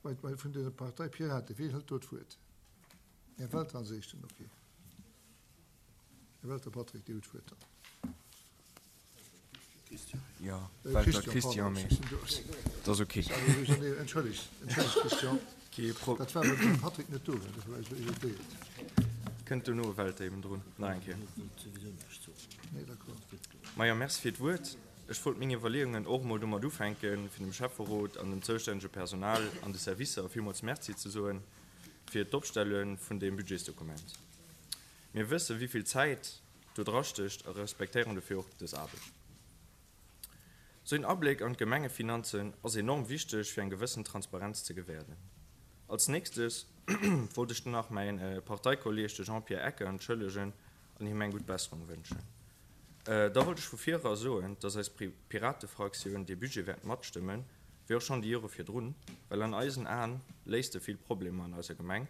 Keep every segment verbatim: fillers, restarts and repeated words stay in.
Vun der Partei Pirate, wien hëlt do d'Wuert? Här Welter als Éischten, okay. Här Welter Patrick, Dir hutt d'Wuert dann. Jo, Welter Christian, mee et ass ok. Entschëllegt, entschëllegt Christian. Kee Pro. Dat war, well den Patrick net do war, dofir war ech elo irritéiert. Kënnt dono e Welter eben drun, nach eng Kéier. Nee, d'accord. Majo, Merci fir d'Wuert. Ech wollt meng Iwwerleeungen och emol domat ufänken, fir dem Schäfferot an dem zoustännege Personal an de Servicer villmools Merci ze soen fir d'Opstelle vun deem Budgetsdokument. Mir wëssen, wéi vill Zäit do drastécht a respektéieren dofir och dës Aarbecht. Sou een Abléck an d'Gemengefinanzen ass enorm wichteg, fir eng gewëssen Transparenz ze gewäerden. Als nächstes wollt ech dann nach mäin Parteikolleeg, de Jean-Pierre Ecker, entschëllegen an him eng gutt Besserung wënschen. Da wollt ech vu vir era soen, dass eis Piratefraktioun dee Budget wäert matstëmmen, wéi och schonn déi Jore virdrun, well an eisen Aen léist e vill Problemer an eiser Gemeng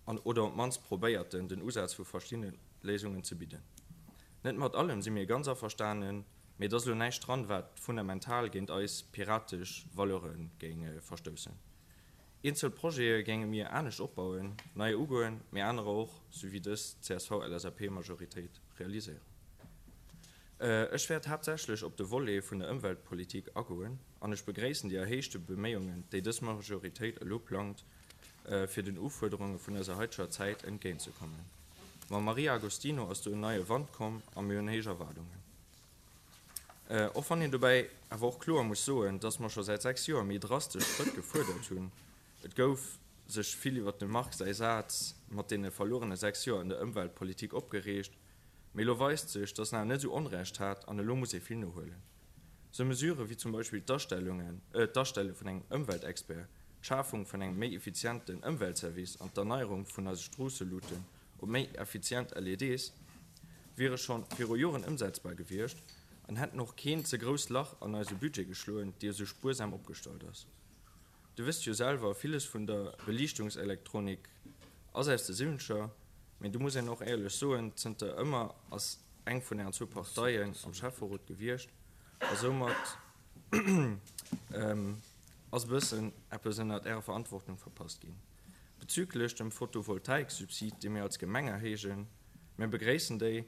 an oder op d'mannst probéiert en, den Usaz vu verschiddene Léisungen ze bidden. Net mat allem si mir ganz averstanen, mee et ass elo näischt dran, wat fundamental géint eis piratesch Valeure géing verstoussen. Eenzel Projete géinge mir anescht opbauen, neier ugoen, mee anerer och, sou wéi dës C S V L S A P-Majoritéit, realiséieren. Ech wäert haaptsächlech op de Volet vun der Ëmweltpolitik agoen an ech begréissen déi erhéichte Beméiungen, déi dës Majoritéit elo plangt, fir den Ufuerderunge vun eiser haiteger Zäit entgéintzekommen. Mam Maria Agostino ass do en neie Wand komm a mir hunn héich Erwaardungen. Och wann een dobäi awer och kloer muss soen, dass mer scho säit sechs Joer méi drastesch Schrëtt gefuerdert hunn. Et gouf sech vill iwwert dem Marc säi Saz mat deene verluerene sechs Joer an der Ëmweltpolitik opgereegt, mee elo weist sech, dass en awer net esou Onrecht hat an elo muss ee vill nohuelen. Sou Mesurë wéi zum Beispill d'Astellungen, d'Astelle vun engem Ëmweltexpert, d'Schafung vun engem méi effizienten Ëmweltservice an d'Erneierung vun eise Stroosseluuten op méi effizient L E Ds wiere scho viru Joren ëmsetzbar gewiescht an hätten och keen ze grousst Lach an eise Budget geschloen, dee esou spuersam opgestallt ass. Dir wësst jo selwer, villes vun der Beliichtungselektronik ass aus de Siwwenzeger, mee do muss een och éierlech soen, zënter ëmmer ass eng vun ären zwou Parteien am Schäfferot gewiescht a soumat ass e bëssen eppes ënnert ärer Verantwortung verpasst ginn. Bezüglech dem Photovoltaiksubsid, dee mir als Gemeng erhéijen, mir begréissen déi,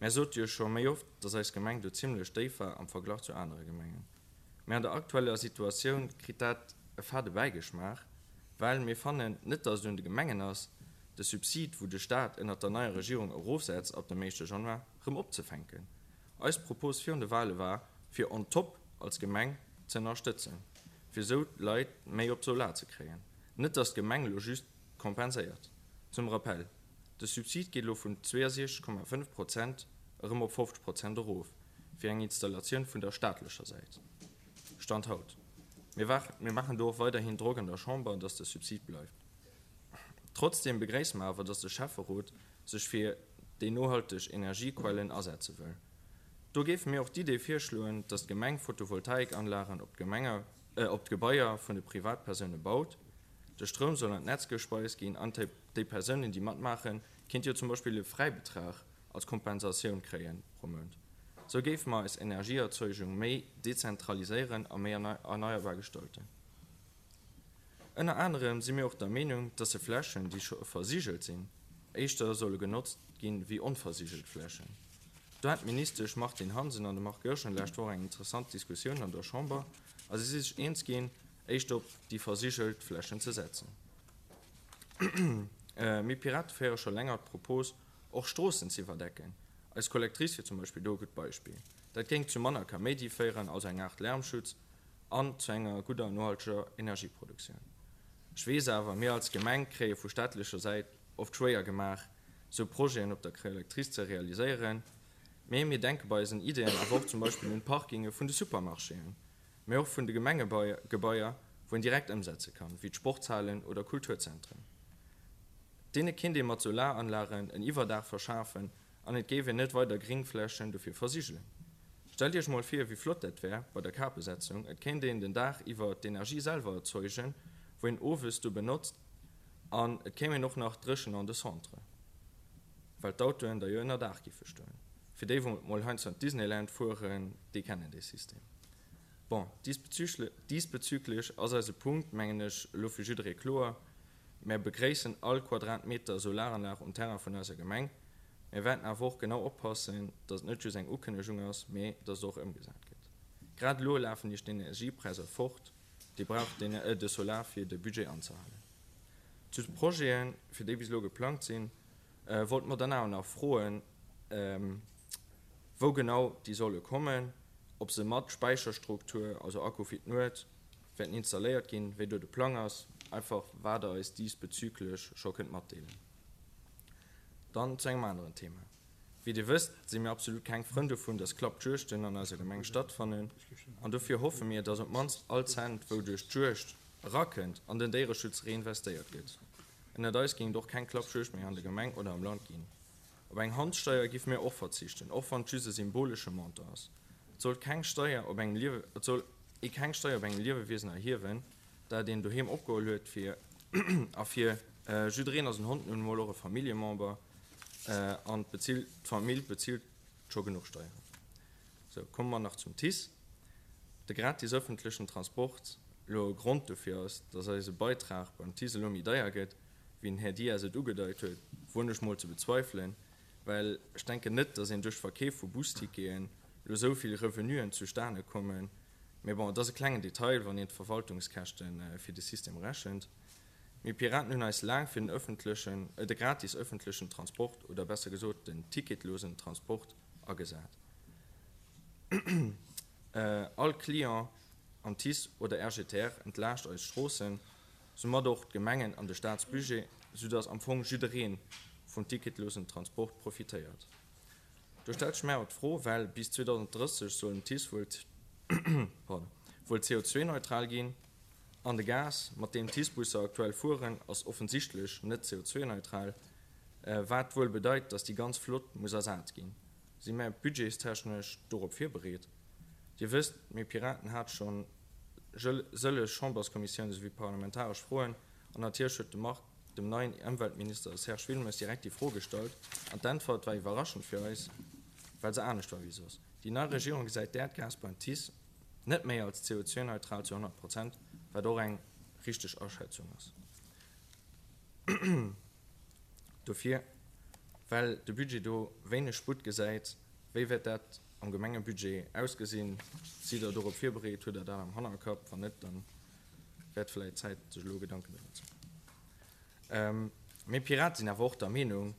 Mär sote jo scho méi oft, dass eis Gemeng do zimlech déif war am Verglach zu anere Gemengen. Mä an der aktueller Situatioun kritt dat e fade Bäigeschmaach, well mir fannen net, dass et un de Gemengen ass, de Subsid, wou de Staat ënnert der neier Regierung erofsetzt ab dem éischte Januar, rëm opzefänken. Eis Propos virun de Wale war, fir on top als Gemeng ze ënnerstëtzen, fir esou d'Leit méi op Solar ze kréien, net dass d'Gemeng elo just kompenséiert. Zum Rappell, De Subsid geet elo vun zweeësiechzeg Komma fënnef Prozent erëm op fofzeg Prozent erof fir eng Installatioun vun der staatlecher Säit. Stand haut. Mir mir maachen do och weiderhin Drock an der Chamber, dass de Subsid bleift. Trotzdeem begréisse mer awer, dass de Schäfferot sech fir déi nohalteg Energiequellen asetze wëll. Do géife mir och d'Idee virschloen, dass d'Gemeng Photovoltaikanlagen op d'Gemenge op d'Gebaier vun de Privatpersoune baut. De Stroum soll an d'Netz gespeist ginn an déi Persounen, déi matmaachen, kéinte jo zum Beispill e Fräibetrag als Kompensatioun kréien pro Mount. Sou géife mer eis Energieerzeugung méi dezentraliséieren a méi erneierbar gestalten. Ënner anerem si mir och der Meenung, dass se Flächen, déi scho versigelt sinn, éischter solle genotzt ginn wéi onversigelt Flächen. Do hat d'Ministesch Martine Hansen an de Marc Goergen lescht Woch eng interessant Diskussioun an der Chamber a si si sech eens ginn, éischter op déi versigelt Flächen ze setzen. Mir Pirate féiere scho länger d'Propos, och Stroossen z'iwwerdecken. Eis Collectrice wier zum Beispill do e gutt Beispill. Dat géing zu manner Kaméidi féieren, also eng Aart Lärmschutz, an zu enger gudder nohalteger Energieproduktioun. Ech weess awer, mir als Gemeng kréie vu staatlecher Säit oft schwéier gemaach, sou Projeten op der Collectrice ze realiséieren. Mee mir denke bei eisen Ideeën awer och zum Beispill un d'Parkinge vun de Supermarchéen, mee och vun de Gemengegebaier, wou een direkt ëmsetze kann, wéi d'Sportshalen oder Kulturzentren. Deene kinnt ee mat Solaranlagen en Iwwerdaach verschafen an et géif een net weider Gringflächen dofir versigelen. Stellt Iech mol vir, wéi flott dat wär bei der Kapesetzung, et kéint een den Dag iwwer d'Energie selwer erzeugen, wou een owes du benotzt an et kéim een och nach dréchen an de Centre, well d'Autoen da jo ënner Daach giffe stoen. Fir déi, wou mol heiansdo an d'Disneyland fueren, déi kennen dee System. Bon, diesbezüglech ass eise Punkt, mengen ech, elo fir jidderee kloer. Mär begréissen all Quadratmeter Solaranlag um Terrain vun eiser Gemeng. Mir wäerten awer och genau oppassen, datt et net just eng Ukënnegung ass, mee datt et och ëmgesat gëtt. Grad elo lafen iech d'Energiepräisser fort, Dir braucht de Solar fir de Budget anzehalen. Zu de Projeten, fir déi bis elo geplangt sinn, wollte mer dann awer nach froen, wou genau déi solle kommen, ob se mat Späicherstruktur, also Akku fir d'Nuet, wäerten installéiert ginn, wéi do de Plang ass, einfach wat Der eis diesbezüglech scho kënnt matdeelen. Dann zu engem aneren Thema. Wéi Dir wësst, si mir absolut keng Frënn dovun, dass Klappjuegten an eiser Gemeng stattfannen an dofir hoffe mir, dass op d'mannst all Cent, wou duerch d'Juegd erakënnt, an den Déiereschutz reinvestéiert gëtt. Ënnert eis géing et och keng Klappjuegd méi an der Gemeng oder am Land ginn. Op eng Handsteier géife mir och verzichten, och wann et just e symbolesche Montant ass. Et sollt keng Steier op engem Liewe, et soll ee keng Steier op engem Liewewiesen erhiewen, dat een doheem opgeholl huet fir a fir jiddereen ass en Hond nun emol och e Familljemember an d'Famill bezilt scho genuch Steieren. Sou, komme mer nach zum TICE. De gratis ëffentlechen Transport elo e Grond dofir ass, dass eise Beitrag beim TICE elo méi deier gëtt, wéi den Här Dias et ugedeit huet, woen ech mol ze bezweifelen, well ech denken net, dass een duerch d'Verkeef vu Busticketen elo esou vill Revenuen zustane kommen. Mee bon, et ass e klengen Detail, wann een d'Verwaltungskäschte fir de System rechent. Mir Piraten hunn eis laang fir den ëffentlechen, de gratis ëffentlechen Transport, oder besser gesot den ticketlosen Transport agesat. All Client am TICE oder R G T R entlaascht eis Stroossen, soumat och d'Gemengen an de Staatsbudget, soudass am Fong jidderee vum ticketlosen Transport profitéiert. Do stellt sech mir awer d'Fro, well bis zweedausenddrësseg soll den TICE wuel wuel C O zwei neutral ginn, an de Gas, mat deem d'TICE-Busser aktuell fueren, ass offensichtlech net C O zwei neutral, wat wuel bedeit, datt déi ganz Flott muss ersat ginn. Si mär budgetstechnesch dorop virbereet? Dir wësst, mir Piraten hate scho sëlleg Chamberskommissiounen souwéi parlamentaresch Froen, an natierlech huet de Marc dem neien Ëmweltminister Serge Wilmes direkt déi Fro gestallt, an d'Äntwert war iwwerraschend fir eis, well se anescht war wéi soss. Déi nei Regierung gesäit d'Äerdgas beim TICE net méi als C O zwei neutral zu honnert Prozent, wat och eng richteg Aschätzung ass. Dofir, well de Budget do wéineg Sputt gesäit, wéi wäert dat am Gemengebudget ausgesinn? Sidd Der dorop virbereet? Hutt Der dat am Hannerkapp? Wann net, dann wär et vläicht Zäit, sech elo Gedanken driwwer ze maachen. Mir Piraten sinn awer och der Meenung,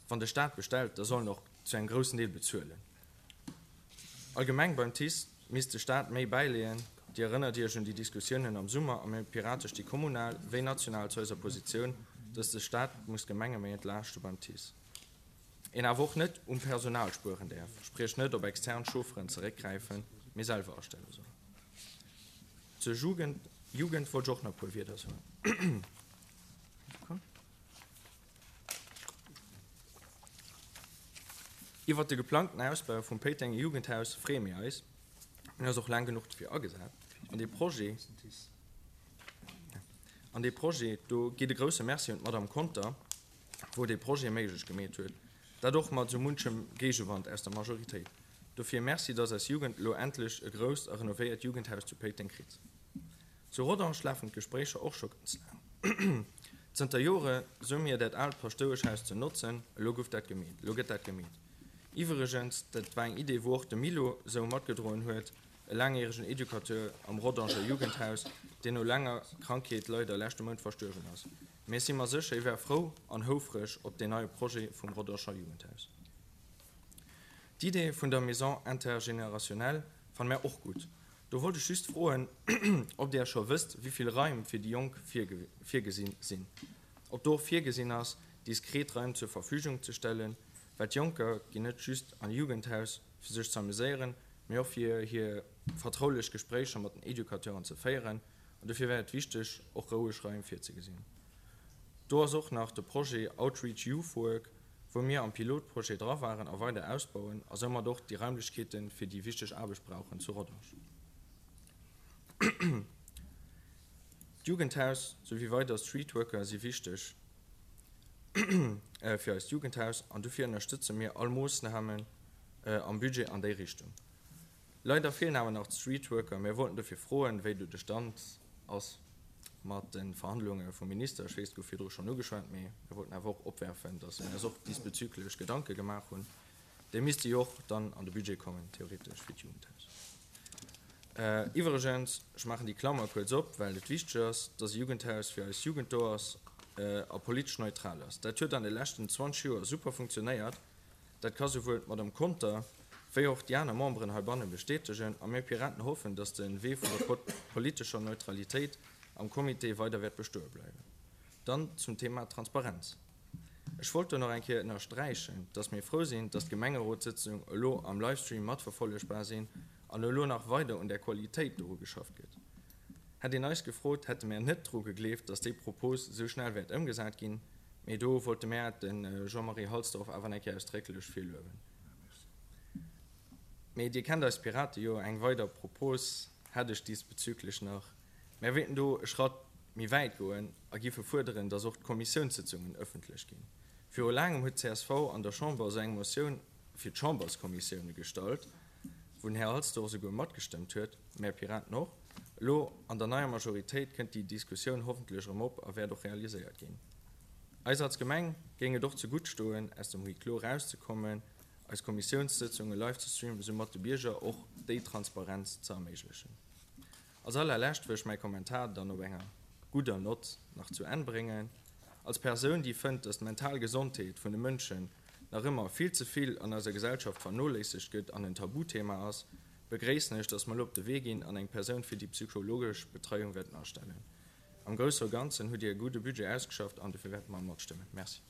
wann de Staat bestellt, da soll en och zu engem groussen Deel bezuelen. Allgemeng beim TICE misst de Staat méi bäileeën. Dir erënnert Iech un déi Diskussiounen am Summer a mir Pirate sti kommunal wéi national zu eiser Positioun, dass de Staat muss d'Gemenge méi entlaaschte beim TICE. Een awer och net um Personal spueren däerf, spriech net op extern Chaufferen zeréckgräifen, mee selwer astelle soll. Zur Jugend, Jugend wollt ech och nach e puer Wierder soen. Iwwert de geplangten Ausbau vum Péitenger Jugendhaus freeë mir eis. Mir hunn eis och laang genuch dofir agesat. An dee Projet, an dee Projet, do geet e grouse Merci un d'Madame Conter, wou dee Projet méiglech gemeet huet, dat och mat esou munchem Géigewand aus der Majoritéit. Dofir Merci, dass eis Jugend elo endlech e grousst a renovéiert Jugendhaus zu Péiteng kritt. Zu Rodange lafen d'Gespréicher och scho ganz laang. Zënter Jore soe mir, dat aalt Paschtoueschhaus ze notzen. Elo gouf dat gemeet. Elo gëtt dat gemeet. Iwwregens, dat war eng Idee, wou och de Milo sou matgedroen huet, e laangjäregen Educateur am Rodanger Jugendhaus, deen no laanger Krankheet leider leschte Mount verstuerwen ass. Mee ech si mer sécher, hie war frou an houfreg op deen neie Projet vum Rodanger Jugendhaus. D'Idee vun der Maison intergénérationnelle fanne mär och gutt. Do wollt ech just froen, ob Der scho wësst, wéi vill Raim fir déi Jonk virgesi sinn. Ob do och virgesinn ass, diskret Raim zur Verfügung ze stellen, well d'Jonker ginn net just an e Jugendhaus, fir sech ze amuséieren, mee och fir hir vertraulech Gespréicher mat den Educateuren ze féieren. An dofir wär et wichteg, och roueg Raim virzegesinn. Do ass och nach de Projet Outreach Youth Work, wou mir am Pilotprojet dra waren a weider ausbauen a soumat och déi Raimlechkeete fir déi wichteg Aarbecht brauchen zu Rodange. D'Jugendhaus souwéi weider Streetworker si wichteg fir eist Jugendhaus an dofir ënnerstëtze mir all Moossnamen am Budget an déi Richtung. Leider feelen awer nach d'Streetworker. Mir wollten dofir froen, wéi do de Stand ass mat de Verhandlunge vum Minister. Ech weess, et gouf virdru schonn ugeschwat, mee mir wollten awer och opwerfen, dass mir eis och diesbezüglech Gedanke gemaach hunn. Déi misste jo och dann an de Budget kommen, theoretesch, fir d'Jugendhaus. Iwwregens, ech maachen déi Klammer kuerz op, well et wichteg ass, dass e Jugendhaus fir eis Jugend do ass a politesch neutral ass. Dat huet an de leschten zwanzeg Joer super funktionéiert. Dat ka souwuel d'Madame Conter wéi och déi aner Memberen heibanne bestätegen. A mir Piraten hoffen, dass de Wee vun der politescher Neutralitéit am Comité weider wäert bestoe bleiwen. Dann zum Thema Transparenz. Ech wollt do nach eng Kéier ënnersträichen, dass mir frou sinn, dass d'Gemengerotssëtzung elo am Livestream matverfollegbar sinn an elo nach weider un der Qualitéit doru geschafft gëtt. Hätt een eis gefrot, hätte mär net dru gegleeft, dass déi Propos esou schnell wäert ëmgesat ginn, mee do wollte mär de Jean-Marie Halsdorf awer eng Kéier ausdrécklech fir luewen. Mee Dir kennt eis Pirate jo, eng weider Propos hätt ech diesbezüglech nach. Mär wéilten do e Schratt méi wäit goen a giffe fuerderen, dass och d'Kommissiounssëtzungen ëffentlech ginn. Viru laangem huet d'C S V an der Chamber esou eng Motioun fir d'Chamberskommissioune gestallt, wou den Här Halsdorf souguer matgestëmmt huet, mär Piraten och. Elo an der neier Majoritéit kënnt déi Diskussioun hoffentlech erëm op a wäert och realiséiert ginn. Eis als Gemeng géing et och zegutt stoen, aus dem Huis clos erauszekommen, eis Kommissiounssëtzunge live ze streamen, soumat de Bierger och déi Transparenz ze erméiglechen. Als allerlescht wëll ech mäi Kommentar dann op enger gudder Nott nach zu Enn bréngen. Als Persoun, déi fënnt, dass d'mental Gesondheet vun de Mënschen nach ëmmer vill ze vill an eiser Gesellschaft vernoléissegt gëtt an en Tabuthema ass, begréissen ech, dass mer elo op de Wee ginn an eng Persoun fir déi psychologesch Betreiung wäerten astellen. Am Grousse a Ganzen hutt Dir e gudde Budget ausgeschafft an dofir wäerte mer matstëmmen. Merci.